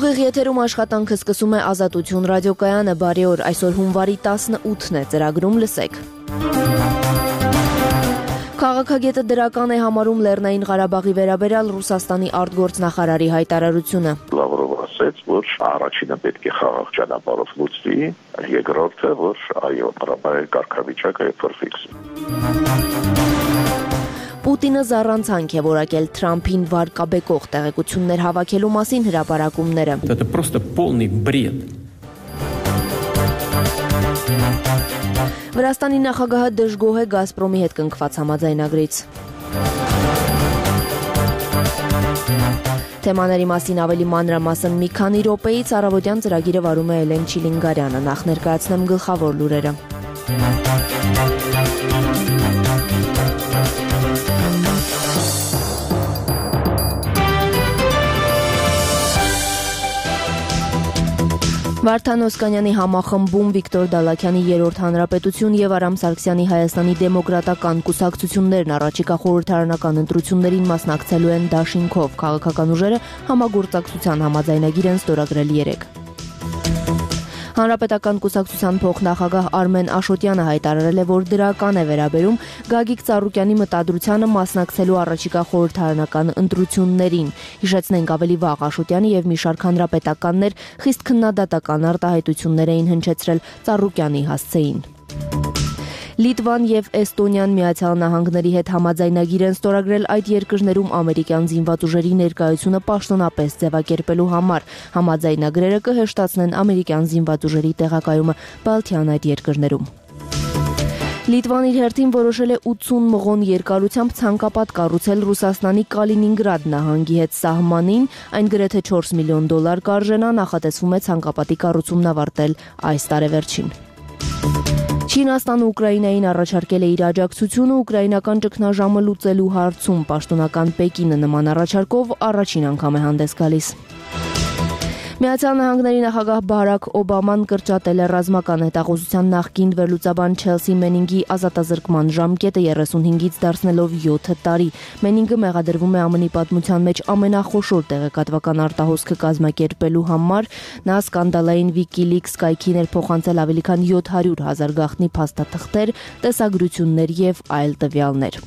Ուղիղ եթերում աշխատանքը սկսում է Ազատություն ռադիոկայանը, բարի օր, այսօր հունվարի 18-ն է, ծրագրում լսեք։ Քաղաքագետը դրական է համարում Լեռնային Ղարաբաղի վերաբերյալ Ռուսաստանի արտգործնախարարի հայտարարությունը։ Լավրովը ասաց, որ առաջինը պետք է խաղաղ ճանապարհով լուծվի, երկրորդը, որ այո, Ղարաբաղի կարգավիճակը փոխվի։ Պուտինը զառանցանք է որակել Թրամփին վարկաբեկող տեղեկություններ հավաքելու մասին հրապարակումները։ Это просто полный бред. Վրաստանի նախագահը դժգոհ է Գազպրոմի հետ կնքված համաձայնագրից։ Թեմաների մասին ավելի մանրամասն մի քանի րոպեից առավոտյան ծրագիրը վարում է Էլեն Չիլինգարյանը, նախ ներկայացնեմ գլխավոր լուրերը։ Վարդան Օսկանյանի համախմբում, Վիկտոր Դալաքյանի երրորդ հանրապետություն եւ Արամ Սարգսյանի Հայաստանի դեմոկրատական կուսակցություններն առաջիկա խորհրդարանական ընտրություններին մասնակցելու են դաշինքով։ Քաղաքական ուժերը համագործակցության համաձայնագիր են ստորագրել երեկ։ Հանրապետական կուսակցության փոխնախագահ Արմեն Աշոտյանը հայտարարել է, որ դրական է վերաբերում Գագիկ Ծառուկյանի մտադրությանը մասնակցելու առաջիկա խորհրդարանական ընտրություններին։ Հիշեցնենք, ավելի վաղ Աշոտյանը եւ մի շարք հանրապետականներ խիստ քննադատական արտահայտություններ էին հնչեցրել Ծառուկյանի հասցեին։ Լիտվան եւ Էստոնիան Միացյալ Նահանգների հետ համաձայնագիր են ստորագրել այդ երկրներում ամերիկյան զինված ուժերի ներկայությունը պաշտոնապես ձևակերպելու համար։ Համաձայնագրերը կհեշտացնեն ամերիկյան զինված ուժերի տեղակայումը Բալթյան այդ երկրներում։ Լիտվան իր հերթին որոշել է 80 մղոն երկարությամբ ցանկապատ կառուցել Ռուսաստանի Կալինինգրադ նահանգի հետ սահմանին, այն գրեթե $4 միլիոն կարժենա, նախատեսվում է ցանկապատի կառուցումն ավարտել այս տարեվերջին։ Չինաստանը Ուկրաինային առաջարկել է իր աջակցությունը ուկրաինական ճգնաժամը լուծելու հարցում։ Պաշտոնական Պեկինը նման առաջարկով առաջին անգամ է հանդես գալիս։ Միացյալ Նահանգների նախագահ Բարաք Օբաման կրճատել է ռազմական հետախուզության նախկին վերլուծաբան Չելսի Մենինգի ազատազրկման ժամկետը 35-ից դարձնելով 7 տարի։ Մենինգը մեղադրվում է ԱՄՆ-ի պատմության մեջ ամենախոշոր տեղեկատվական արտահոսքը կազմակերպելու համար։ Նա սկանդալային WikiLeaks կայքին էր փոխանցել ավելի քան 700,000 գաղտնի փաստաթղթեր, տեսագրություններ եւ այլ տվյալներ։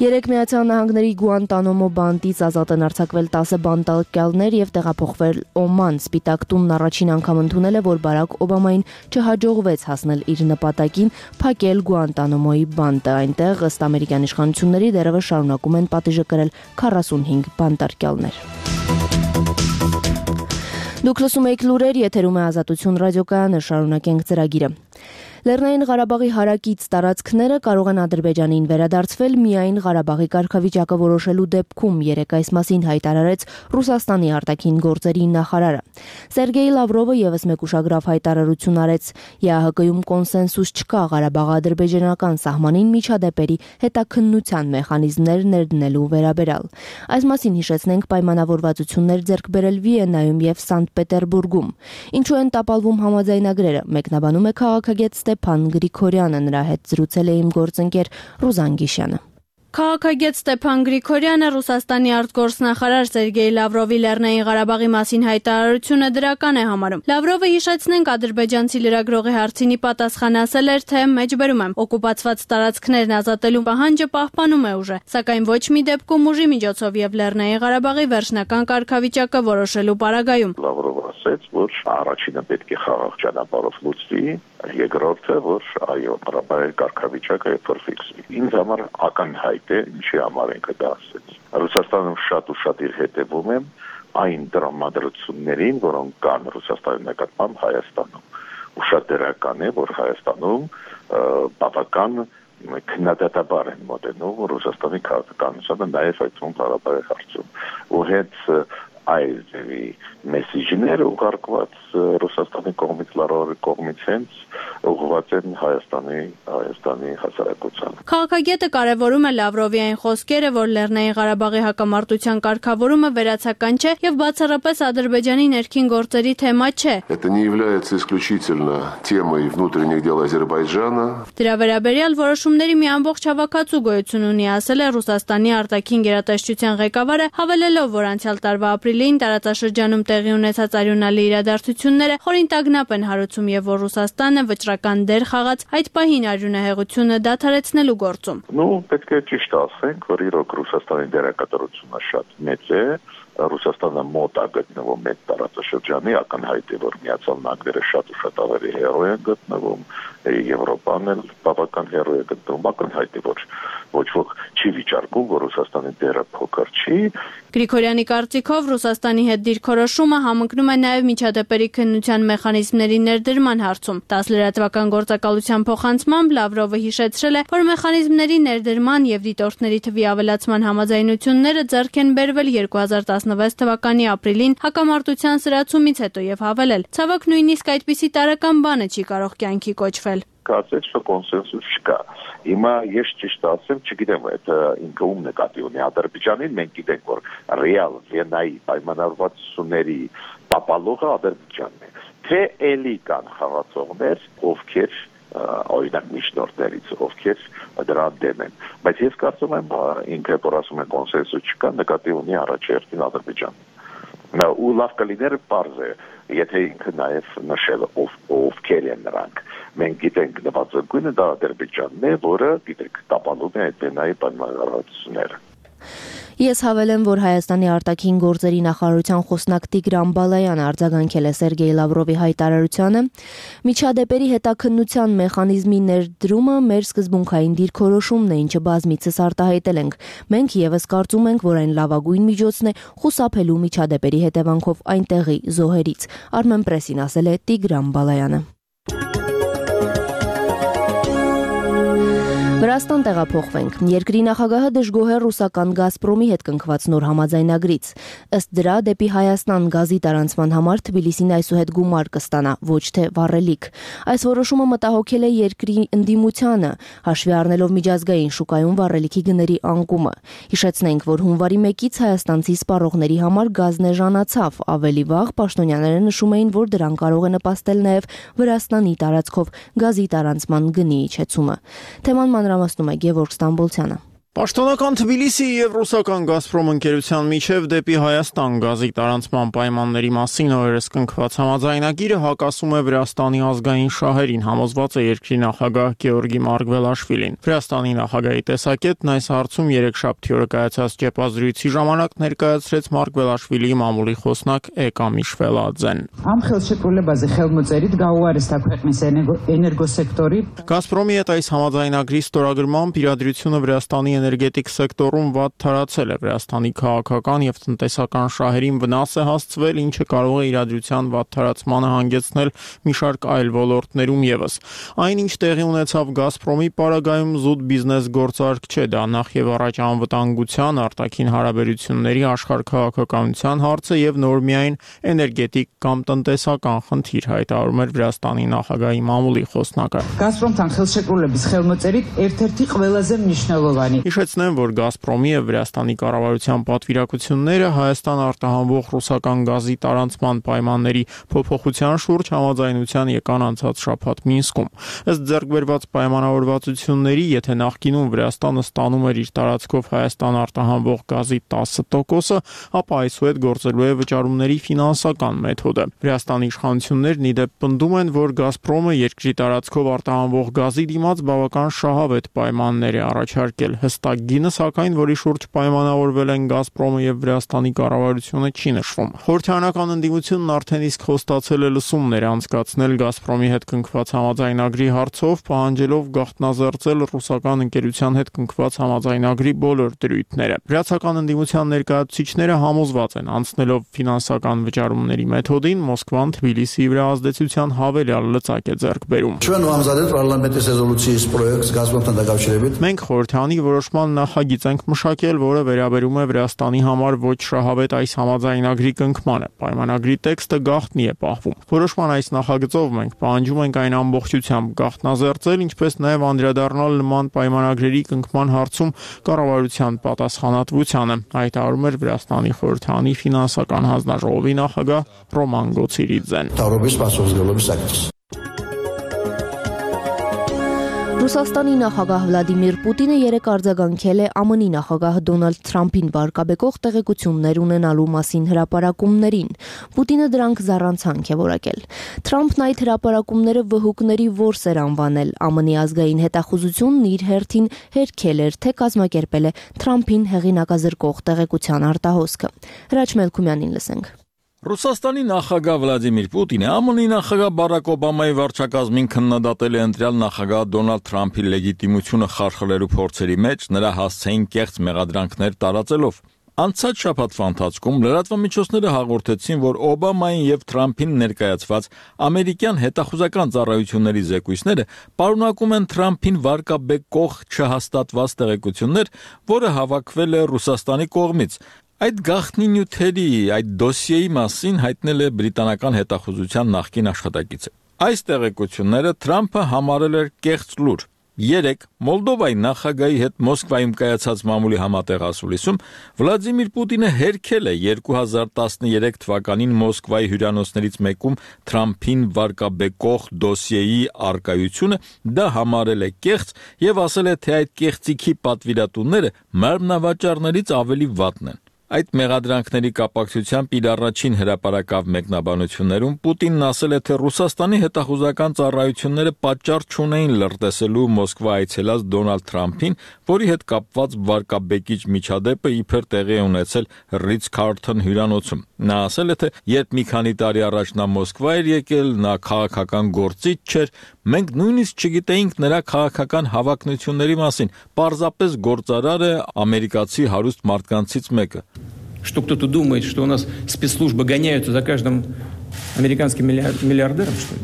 Երեք Միացյալ Նահանգների Գուանտանամո բանտից ազատ են արձակվել 10 բանտարկյալներ եւ տեղափոխվել Օման։ Սպիտակ տունն առաջին անգամ ընդունել է, որ Բարաք Օբամային չհաջողվեց հասնել իր նպատակին փակել Գուանտանամոյի բանտը։ Այնտեղ ըստ ամերիկյան իշխանությունների դեռևս շարունակում են պատիժը կրել 45 բանտարկյալներ։ Դուք լսում եք լուրեր, եթերում է Ազատություն ռադիոկայանը, շարունակենք ծրագիրը։ Լեռնային Ղարաբաղի հարակից տարածքները կարող են Ադրբեջանին վերադարձվել միայն Ղարաբաղի կարգավիճակը որոշելու դեպքում, երեկ այս մասին հայտարարեց Ռուսաստանի արտաքին գործերի նախարարը։ Սերգեյ Լավրովը եւս մեկ ուշագրավ հայտարարություն արեց. ԵԱՀԿ-ում կոնսենսուս չկա Ղարաբաղ-ադրբեջանական սահմանին միջադեպերի հետաքննության մեխանիզմներ ներդնելու վերաբերյալ։ Այս մասին հիշեցնենք պայմանավորվածություններ ձեռք բերել Վիեննայում եւ Սանտ Պետերբուրգում։ Ինչու են տապալվում համաձայնագրերը, մեկնաբանում է քաղաքագետ Ստեփան Գրիգորյանը, նրա հետ զրուցել է իմ գործընկեր Ռուզան Գիշյանը։ Քաղաքագետ Ստեփան Գրիգորյանը Ռուսաստանի արտգործնախարար Սերգեյ Լավրովի Լեռնային Ղարաբաղի մասին հայտարարությունը դրական է համարում։ Լավրովը, հիշեցնենք, ադրբեջանցի լրագրողի հարցինի պատասխան ասել էր, թե մեջբերում եմ օկուպացված տարածքներն ազատելու պահանջը պահպանում է ուժը, սակայն ոչ մի դեպքում ուժի միջոցով եւ Լեռնային Ղարաբաղի վերջնական կարգավիճակը որոշելու պարագայում։ Լավրովը ասաց, որ առաջինը պետք է խաղաղ ճանապարհով լուծվի, երկրորդը, որ այո, Ղարաբաղի կարգավիճակը փոխվի։ Ինձ համար ակնհայտ է, ինչի համար ենք դա ասել։ Ռուսաստանում շատ ու շատ իր հետևում եմ այն դրամատրություններին, որոնք կան Ռուսաստանի նկատմամբ Հայաստանում։ Ու շատ դրական է, որ Հայաստանում բավական քննադատաբար են մոտենում Ռուսաստանի քաղաքականությանը, նաև այդ Ղարաբաղի հարցում։ Ու հետ այս մեսիջները ուղարկված Ռուսաստանի կողմից, Լավրովի կողմից հենց ուղղված են Հայաստանի հասարակությանը։ Քաղաքագետը կարևորում է Լավրովի այն խոսքերը, որ Լեռնային Ղարաբաղի հակամարտության կարգավորումը վերացական չէ եւ բացառապես Ադրբեջանի ներքին գործերի թեմա չէ։ Это не является исключительно темой внутренних дел Азербайджана. Դրա վերաբերյալ որոշումների մի ամբողջ հավաքածու գոյություն ունի, ասել է Ռուսաստանի արտաքին գերատեսչության ղեկավարը, հավելելով, որ անցյալ տարվա ապրիլին տարածաշրջանում տեղի ունեցած արյունալի իրադարձությունները խորին տագնապ են հարուցում եւ որ Ռուսաստանը վճռական դեր խաղաց այդ պահին արյունահեղությունը դադարեցնելու գործում։ Պետք է ճիշտ ասենք, որ իրոք Ռուսաստանի դերակատարությունը շատ մեծ է։ Ռուսաստանը մոտ է գտնվում այդ տարածաշրջանի, ակնհայտ է, որ Միացյալ Նահանգները շատ ու շատ ավելի հեռու են գտնվում, Եվրոպան էլ բավական հեռու է գտնվում, ակնհայտ է, որ ոչ ոք չի վիճարկում, որ Ռուսաստանի դերը փոքր չի։ Գրիգորյանի կարծիքով Ռուսաստանի հետ դիրքորոշումը համընկնում է նաև միջադեպերի քննության մեխանիզմների ներդրման հարցում։ 10 լրատվական գործակալության փոխանցմամբ Լավրովը հիշեցրել է, որ մեխանիզմների ներդրման եւ դիտորդների թվի ավելացման համաձայնությունները ձեռք են բերվել 2016 թվականի ապրիլին հակամարտության սրացումից հետո եւ հավելել. ցավոք նույնիսկ այդպիսի տարական բանը չի կարող կյանքի կոչվել։ Կարծես որ կոնսենսուս չկա։ Հիմա ես ճիշտ ասեմ, չգիտեմ, այդ ինքը ում նկատի ունի Ադրբեջանին, մենք գիտենք, որ ռեալ Վիեննայի պայմանավորվածությունների տապալողը Ադրբեջանն է։ Թե էլի կան խաղացողներ, ովքեր օրինակ միջնորդներից, ովքեր դրան դեմ են։ Բայց ես կարծում եմ, ինքը որ ասում է կոնսենսուս չկա, նկատի ունի առաջերտին Ադրբեջանը։ Ու լավ կլիներ պարզ է, եթե ինքը նաև նշել ովքեր են նրանք։ Մենք գիտենք նվազագույնը դա Ադրբեջանն է, որը գիտեք տապալում է այդ Վիեննայի պայմանավորվածությունները։ Ես հավելեմ, որ Հայաստանի արտաքին գործերի նախարարության խոսնակ Տիգրան Բալայանը արձագանքել է Սերգեյ Լավրովի հայտարարությանը. միջադեպերի հետաքննության մեխանիզմի ներդրումը մեր սկզբունքային դիրքորոշումն է, ինչը բազմիցս արտահայտել ենք։ Մենք եւս կարծում ենք, որ այն լավագույն միջոցն է խուսափելու միջադեպերի հետևանքով այնտեղի զոհերից։ Armenpress-ին ասել է Տիգրան Բալայանը։ Վրաստան տեղափոխվենք։ Երկրի նախագահը դժգոհ է ռուսական Գազպրոմի հետ կնքված նոր համաձայնագրից։ Ըստ դրա, դեպի Հայաստան գազի տարանցման համար Թբիլիսին այսուհետ գումար կստանա, ոչ թե վառելիք։ Այս որոշումը մտահոգել է երկրի ընդդիմությանը, հաշվի առնելով միջազգային շուկայում վառելիքի գների անկումը։ Հիշեցնենք, որ հունվարի 1-ից հայաստանցի սպառողների համար գազն էժանացավ։ Ավելի վաղ պաշտոնյաները նշում էին, որ դրան կարող է նպաստել նաև Վրաստանի տարածքով գազի տարանցման գնի իջեցումը։ Թեման մանրամասնում է Գևորգ Ստամբոլցյանը։ Պաշտոնական Թբիլիսի եւ ռուսական Գազպրոմ ընկերության միջև դեպի Հայաստան գազի տարանցման պայմանների մասին օրերս կնքված համաձայնագիրը հակասում է Վրաստանի ազգային շահերին, համոզված է երկրի նախագահ Գեորգի Մարգվելաշվիլին։ Վրաստանի նախագահի տեսակետն այս հարցում երեքշաբթի օրը կայացած ճեպազրույցի ժամանակ ներկայացրեց Մարգվելաշվիլիի մամուլի խոսնակ Էկա Միշվելաձեն։ Am ხელშეკრულებაზე ხელმოწერით გაუარესდა ქვეყნის էներգոսեկტორի Գազպրոմի հետ այս համաձայնագրի ստորագրմամբ իրադրությունը Վրաստանի էներգետիկ սեկտորում վատ թարացել է Վրաստանի քաղաքական եւ տնտեսական շահերին վնաս է հասցվել, ինչը կարող է իրադրության վատ թարացմանը հանգեցնել մի շարք այլ ոլորտներում եւս։ Այն, ինչ տեղի ունեցավ Գազպրոմի պարագայում զուտ բիզնես գործարք չէ, դա նախ եւ առաջ անվտանգության, արտաքին հարաբերությունների, աշխարհքաղաքականության հարց է եւ նոր միայն էներգետիկ կամ տնտեսական խնդիր, հայտարարում էր Վրաստանի նախագահի մամուլի խոսնակը։ Գազպրոմთან ხელშეკრულების ხელმოწერით ერთ-ერთი ყველაზე მნიშვნელოვანი Հիշեցնեմ, որ Գազպրոմի եւ Վրաստանի կառավարության պատվիրակությունները Հայաստան արտահանվող ռուսական գազի տարանցման պայմանների փոփոխության շուրջ համաձայնության եկան անցած շաբաթ Մինսկում։ Ըստ ձեռքբերված պայմանավորվածությունների, եթե նախկինում Վրաստանը ստանում էր իր տարածքով Հայաստան արտահանվող գազի 10%, ապա այսուհետ գործելու է վճարումների ֆինանսական մեթոդը։ Վրաստանի իշխանություններն ի դեպ պնդում են, որ Գազպրոմը երկրի տարածքով արտահանվող գազի դիմաց բավական շահավետ պայմաններ է առաջարկել։ Հստակ գինը, սակայն, որի շուրջ պայմանավորվել են Գազպրոմը եւ Վրաստանի կառավարությունը չի նշվում։ Խորհրդարանական ընդդիմությունն արդեն իսկ խոստացել է լսումներ անցկացնել Գազպրոմի հետ կնքված համաձայնագրի հարցով, պահանջելով գաղտնազերծել ռուսական ընկերության հետ կնքված համաձայնագրի բոլոր դրույթները։ Վրացական ընդդիմության ներկայացուցիչները համոզված են, անցնելով ֆինանսական վճարումների մեթոդին, Մոսկվան Թբիլիսիի վրա ազդեցության հավելյալ լծակ է ձեռք բերում։ Ჩვენ ვამზადეთ პარლამენტის რეზოლუციის პროექტს Gazprom-თან დაკავშირებით։ Մենք խորհրդանի որոշ որոշման նախագիծ ենք մշակել, որը վերաբերում է Վրաստանի համար ոչ շահավետ այս համաձայնագրի կնքմանը։ Պայմանագրի տեքստը գաղտնի է պահվում։ Որոշման այս նախագծով մենք պահանջում ենք այն ամբողջությամբ գաղտնազերծել, ինչպես նաև անդրադառնալ նման պայմանագրերի կնքման հարցում կառավարության պատասխանատվությանը, հայտարարում էր Վրաստանի խորհրդարանի ֆինանսական հանձնաժողովի նախագահ Ռոման Գոցիրիձեն։ Ռուսաստանի նախագահ Վլադիմիր Պուտինը երեկ արձագանքել է ԱՄՆ-ի նախագահ Դոնալդ Թրամփին վարկաբեկող տեղեկություններ ունենալու մասին հրապարակումներին։ Պուտինը դրանք զառանցանք է որակել։ Թրամփն այդ հրապարակումները վհուկների որս էր անվանել։ ԱՄՆ-ի ազգային հետախուզությունն իր հերթին հերքել էր, թե կազմակերպել է Թրամփին հեղինակազրկող տեղեկության արտահոսքը։ Հրաչ Մելքումյանին լսենք։ Ռուսաստանի նախագահ Վլադիմիր Պուտինը ԱՄՆ-ի նախագահ Բարակ Օբամայի վարչակազմին քննադատել է ընտրյալ նախագահ Դոնալդ Թրամփի լեգիտիմությունը խարխլելու փորձերի մեջ նրա հասցեին կեղծ մեղադրանքներ տարածելով։ Անցած շաբաթվա ընթացքում լրատվամիջոցները հաղորդեցին, որ Օբամային եւ Թրամփին ներկայացված ամերիկյան հետախուզական ծառայությունների զեկույցները պարունակում են Թրամփին վարկաբեկող չհաստատված տեղեկություններ, որը հավաքվել է Ռուսաստանի կողմից։ Այդ գաղտնի նյութերի, այդ դոսիեի մասին հայտնել է բրիտանական հետախուզության նախկին աշխատակիցը։ Այս տեղեկությունները Թրամփը համարել էր կեղծ լուր։ Երեկ Մոլդովայի նախագահի հետ Մոսկվայում կայացած մամուլի համատեղ ասուլիսում Վլադիմիր Պուտինը հերքել է 2013 թվականին Մոսկվայի հյուրանոցներից մեկում Թրամփին վարկաբեկող դոսիեի արկայությունը, դա համարել է կեղծ եւ ասել է, թե այդ կեղծիքի պատվիրատուները մարմնավաճառներից ավելի վատն են։ Այդ մեղադրանքների կապակցությամբ իր առաջին հրապարակավ մեկնաբանություններում Պուտինն ասել է, թե Ռուսաստանի հետախուզական ծառայությունները պատճառ չունեին լրտեսելու Մոսկվա այցելած Դոնալդ Թրամփին, որի հետ կապված վարկաբեկիչ միջադեպը իբր տեղի է ունեցել Ռիցքարլթոն հյուրանոցում։ Նա ասել է, թե երբ մի քանի տարի առաջ նա Մոսկվա էր եկել, նա քաղաքական գործիչ չէր, մենք նույնիսկ չգիտեինք նրա քաղաքական հավակնությունների մասին, պարզապես գործարար է ամերիկացի հարուստ մարդկանցից մեկը։ Что кто-то думает, что у нас спецслужбы гоняются за каждым американским миллиардером, что ли?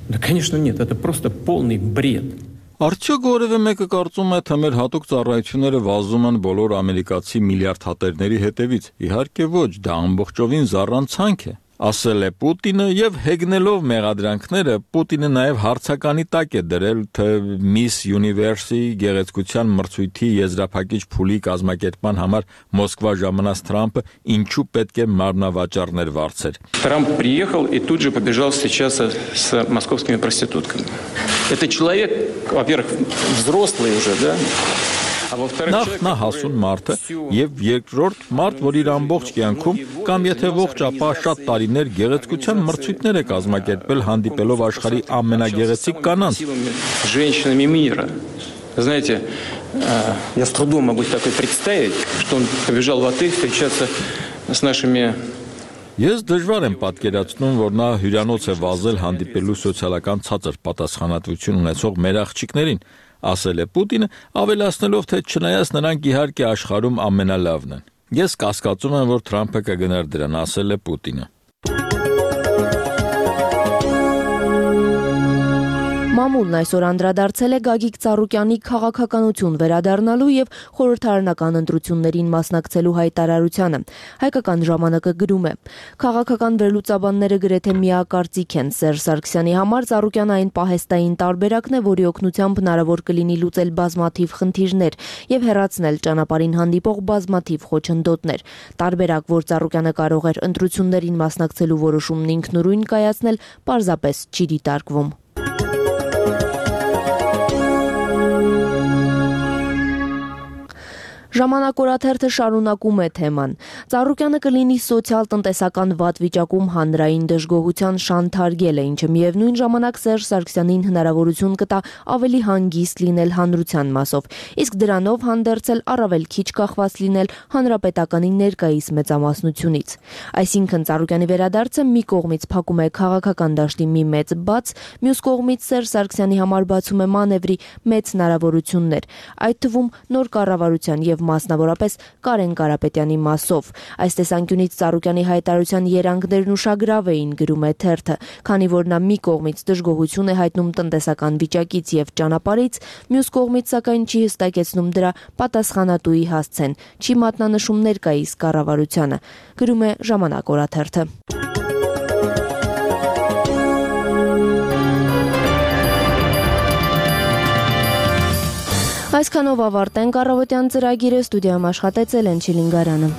Да, конечно, нет. Это просто полный бред. Արդյոք որևէ մեկը կարծում է, թե մեր հատուկ ծառայությունները վազում են բոլոր ամերիկացի միլիարդ հատերների հետևից։ Իհարկե ոչ, դա ամբողջովին զառանցանք է, ասել է Պուտինը եւ հեգնելով մեղադրանքները Պուտինը նաեւ հարցականի տակ է դրել, թե Miss Universe-ի գեղեցկության մրցույթի եզրափակիչ փուլի կազմակերպման համար Մոսկվա ժամանած Թրամփը ինչու պետք է մարմնավաճառներ վարձեր։ Трамп приехал и тут же побежал встречаться с московскими проститутками. Это человек, во-первых, взрослый уже, да? Նա հասուն մարդ է եւ երկրորդ մարդ, որ իր ամբողջ կյանքում կամ եթե ողջ ապա շատ տարիներ գեղեցկության մրցույթներ է կազմակերպել հանդիպելով աշխարհի ամենագեղեցիկ կանանց։ Знаете, я с трудом могу такое представить, что он побежал в отель встречаться с нашими. Ես դժվար եմ պատկերացնում, որ նա հյուրանոց է վազել հանդիպելու սոցիալական ցածր պատասխանատվություն ունեցող մեր աղջիկներին, ասել է Պուտինը, ավելացնելով, թե չնայած նրանք իհարկե աշխարհում ամենալավն են։ Ես կասկածում եմ, որ Թրամփը կգնար դրան, ասել է Պուտինը։ Մամուլն այսօր անդրադարձել է Գագիկ Ծառուկյանի քաղաքականություն վերադառնալու եւ խորհրդարանական ընտրություններին մասնակցելու հայտարարությանը։ Հայկական ժամանակը գրում է. Քաղաքական վերլուծաբանները գրեթե միակարծիք են Սերժ Սարգսյանի համար Ծառուկյանը այն պահեստային տարբերակն է, որի օգնությամբ հնարավոր կլինի լուծել բազմաթիվ խնդիրներ եւ հեռացնել ճանապարհին հանդիպող բազմաթիվ խոչընդոտներ։ Տարբերակ, որ Ծառուկյանը կարող էր ընտրություններին մասնակցելու որոշումն ինքնուրույն կայացնել, պարզապես չի դիտարկվում։ Ժամանակ օրաթերթը շարունակում է թեման։ Ծառուկյանը կլինի սոցիալ-տնտեսական վատ վիճակում հանրային դժգոհության շանթարգելը, ինչը միևնույն ժամանակ Սերժ Սարգսյանին հնարավորություն կտա ավելի հանգիստ լինել հանրության մասով, իսկ դրանով հանդերձել առավել քիչ կախված լինել հանրապետականի ներկայիս մեծամասնությունից։ Այսինքն Ծառուկյանի վերադարձը մի կողմից փակում է քաղաքական դաշտի մի մեծ բաց, մյուս կողմից Սերժ Սարգսյանի համար բացում է մանևրի մեծ հնարավորություններ, այդ թվում նոր կառավարության եւ եւ մասնավորապես Կարեն Կարապետյանի մասով։ Այս տեսանկյունից Ծառուկյանի հայտարարության երանգներն ուշագրավ էին, գրում է թերթը, քանի որ նա մի կողմից դժգոհություն է հայտնում տնտեսական վիճակից եւ ճանապարհից, մյուս կողմից սակայն չի հստակեցնում դրա պատասխանատուի հասցեն, չի մատնանշում ներկայիս կառավարությանը, գրում է Ժամանակ օրաթերթը։ Այսքանով ավարտենք առավոտյան ծրագիրը, ստուդիայում աշխատեց Էլեն Չիլինգարյանը։